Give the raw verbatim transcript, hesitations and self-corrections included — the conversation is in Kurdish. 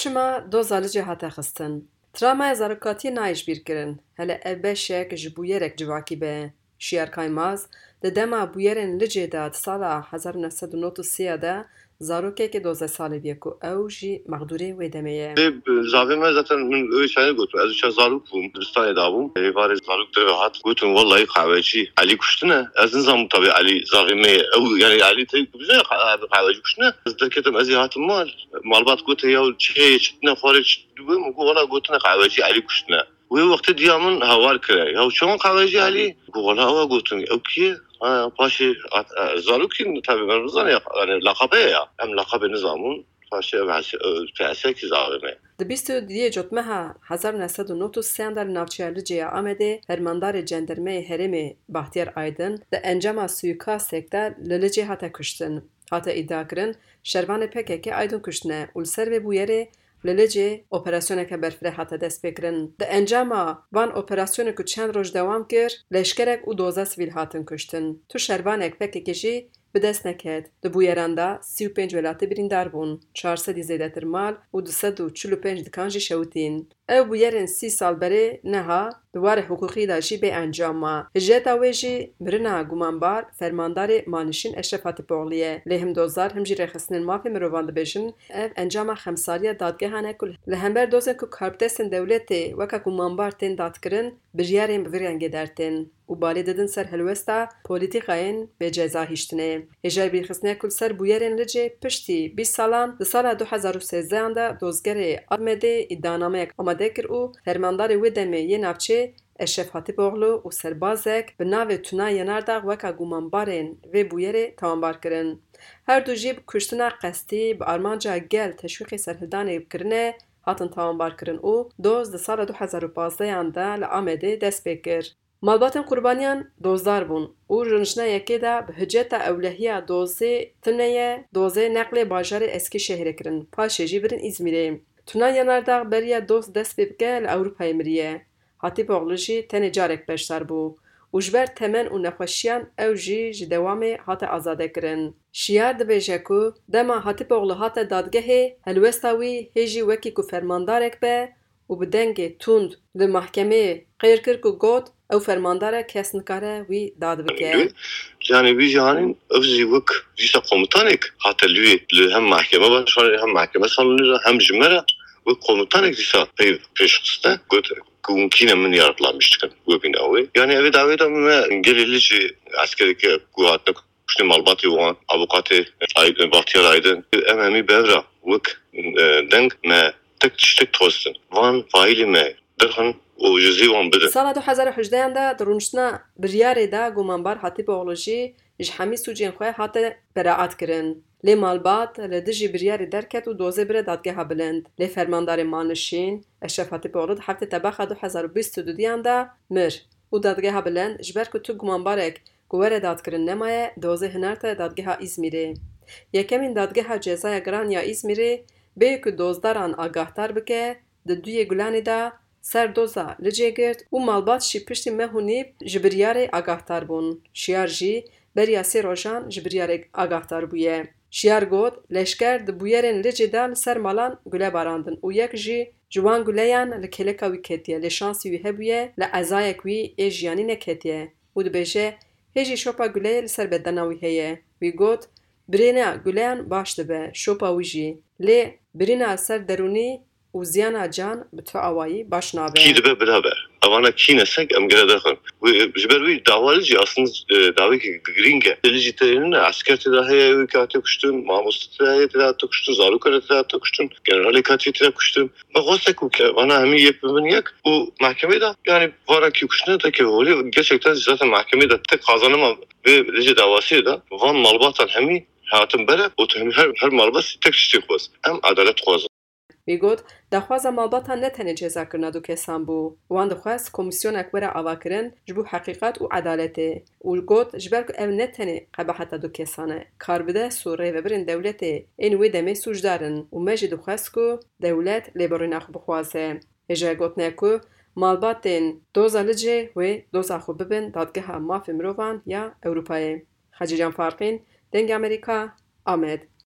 Çima doza Licê hate xistin? Travmaya zarokatiyê nayê ji bîr kirin. Hele ev beşek ji bûyerek civakî be. Şiyar Kaymaz, di dema bûyerên Licê de di sala hezar û neh sed û nod û sê de zarokekê dozdeh salî bûye ku ew jî mexdûrê wê demê ye. Ê, zavê me zaten min wê çayê gotin. Ez uça zarok bûm, dibistanê de bûm. Êvarê zarok deve hat, gotin, "Wellahî qehwecî Elî kuştine." Ez nizam tabi Elî zavê me ye. Ew, yani Elî te bizane qehwecî kuştine. Ez derketim, ez ê hatim mal. Malbat gote, "Ya çi heye, çi tine, xwarê çi dibê?" Min got, "Wela gotine qehwecî Elî kuştine." Wê wextê diya min hawar kire. "Ya çawan qehwecî Elî?" Got, "Wela ewa gotin." "Ew kî ye?" Ha, paşê hat, e, zarokî tabi, me nizane, yani laqabe ya. Em laqabê nizamun. Paşê ev hese-, e, piyaseyekî zavê me. Di bîst û duyê Cotmeha hezar û neh sed û nod û sê de li navçeya Licê ya Amedê fermandarê cendermeyê herêmê Bahtiyar Aydin di encama suîkastek de li Licê hate kuştin. Hate îdiakirin, şervanê P K K Aydin kuştine û li ser vê bûyerê li Licê operasyoneke berfireh hate destpêkirin. Di encama van operasyonê ku çend roj dewam kir, leşkerek û dozdeh sivîl hatin kuştin. Tu şervanek P K K jî bi dest neket. Di bûyeran de sî û pênc welatî birîndar bûn, çar sedî zêdetir mal û du sed û çil û pênc dikan jî şewitîn. Ew bûyerên sî sal berê neha di warê hiqûqî de jî bê encam ma. Hiceta wê jî mirina gumanbar fermandarê malnişîn Eşref Hatipoğlu ye. Lê him dozdar him jî rêxistinên mafê mirovan dibêjin, ev encama xemsariya dadgehan e ku li hember dozên ku karbidestên dewletê weke gumanbar tên dadkirin, biryarên bi vî rengê dertên û balê didin ser helwesta polîtîkayên bêceza hiştinê. Hêjayî bîrxistinê ku li ser bûyerên Licê piştî bîst salan di sala du hezar û sêzdeh de dozgerê Amedê îdianameyek amade kir û fermandarê wê demê yê navçê Eşref Hatîpoğlu û serbazek bi navê Tuna Yenardağ weka gumanbarên vê bûyerê tawanbar kirin. Her du jî bi kuştina qestî bi armanca gel teşwîqê serhildanê kirine hatin tawanbar kirin û doz di sala du hezar û pazdeh de li Amedê dest pê kir. Malbatên qurbaniyan dozdar bûn û rûniştina yekê de bi hiceta ewlehiya dozê tune ye, dozê neqlê bajarê Eskîşehirê kirin, paşê jî birin Îzmîrê. Tuna Yanardağ beriya doz dest pê bike li Ewropayê miriye. Hatîpoğlu jî tenê carek beşdar bû û ji ber temen û nexweşiyan ew jî ji dewamê hate azadekirin. Şiyar dibêje ku dema Hatîpoğlu hate dadgehê, helwesta wî hê jî wekî ku fermandarek be û bi dengê tund li mahkemeyê qêr kir ku got, ew fermandar e, kes nikare wî dad bike. Yanî wî jî hanîn ev jî wek dîsa komutanek hate li wê, li hem mahkeme başkanê hem mahkeme salonê de hem ji me re wek komutanek dîsa pey pêş xiste, got ku hûn kî ne, min yardımlamiş dikin wê bîna wê. Yanî evê dawê de me gelê li jî eskereke ku hatine kuştê malbatê wan, avukatê Aydin, Bahtiyar Aydin, em hemî bi hev re wek, e, deng me tek tiştek dixwestin. Van faîlê me derxin û ji zî wan bidin. Sala du hezar û hejdeh de di rûniştina biryarê de gumanbar Hatîpoğlu jî ji hemî sûcên xwe hate beraat kirin. Lê malbat li dijî biryarê derket û dozê bire dadgeha bilind. Lê fermandarê malnişîn Eşref Hatîpoğlu di heftê Tebaxa du hezar û bîst û du de mir û dadgeha bilind ji ber ku tu gumanbarek ku were dadkirin nemaye, dozê hinarte dadgeha Îzmîrê. Yekemîn dadgeha cezaya giran ya Îzmîrê bê ku dozdaran agahdar bike, di duyê Gulanê de ser doza Licê girt û malbat jî piştî meh û nîv ji biryarê agahdar bûn. Şiyar jî beriya sê rojan ji biryarê agahdar bûye. Şiyar got, leşker di bûyerên Licê de li ser malan gule barandin û yek jî ji wan guleyan li kêleka wî ketiye, lê şansî wî hebûye, li ezayek wî ê jiyanî neketiye û dibêje, hê jî şopa guleyê li ser bedena wî heye. Wî got, birîna guleyan baş dibe, şopa wî jî. Lê birîna ser derûnî û ziyana can bi tu awayî baş nabe. Kî dibe bira be. Evana kî ne sek em gere derxin. Wê, ji ber wî dawa li jî aslında, e, dawekî girîng e. Li jî tê ne, esker tê de heye wê kate kuştin, mamoste tê de heye tê de hate kuştin, zarok tê de hate kuştin, generalê katî tê de kuştin. Bi xwestek û ke vana hemî yek bibin yek û mahkemê de, yani vana kî kuştine de ke holê gerçekten zaten mahkemê de tek kazanima vê licê dawasiyê de van malbatan hemî hatin bere û tu hemî her, her malbasî tek tiştê xwest. Em edalet xwazin. Wî got, daxwaza malbatan ne tenê cezakirina du kesan bû. Wan dixwest komîsyoneke were avakirin ji bo heqîqet û edaletê. Û got, ji ber ku ev ne tenê qebeheta du kesan e, karbidest û rêvebirên dewletê ên wê demê sûcdar in û me jî dixwest ku dewlet lêborîna xwe bixwaze. Hêjayê gotin e ku malbatên doza Licê wê doza xwe bibin Dadgeha Mafê Mirovan ya Ewropayê. Xecîcan Farqîn, Dengê Amerîka, Amed.